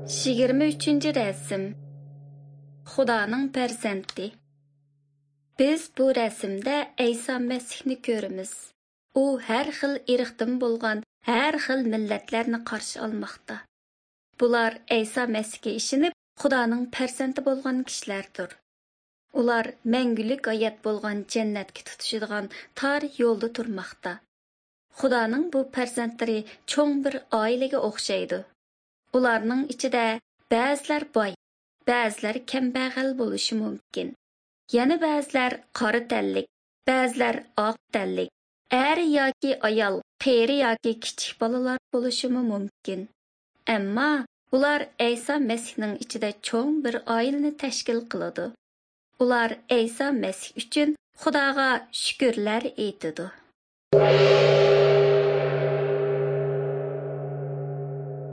23-rasm. Xudoning farzandi. Biz bu rasmda Ayso Masihni ko'ramiz. U har xil irqdan bo'lgan har xil millatlarni qarshi olmoqda. Bular Ayso Masihga ishonib, Xudoning farzandi bo'lgan kishilardir. Ular mangulik hayot bo'lgan jannatga tutishadigan tor yo'lda turmoqda. Xudoning bu farzandlari cho'ng bir oilaga o'xshaydi. Ularning ichida ba'zilar boy, ba'zilar kambag'al bo'lishi mumkin. Yana ba'zilar qora tanlik, ba'zilar oq tanlik, er yoki ayol, qeri yoki kichik bolalar bo'lishi mumkin. Ammo ular Ayso Masihning ichida cho'ng bir oilani tashkil qiladi. Ular Ayso Masih uchun Xudoga shukrlar aytadi.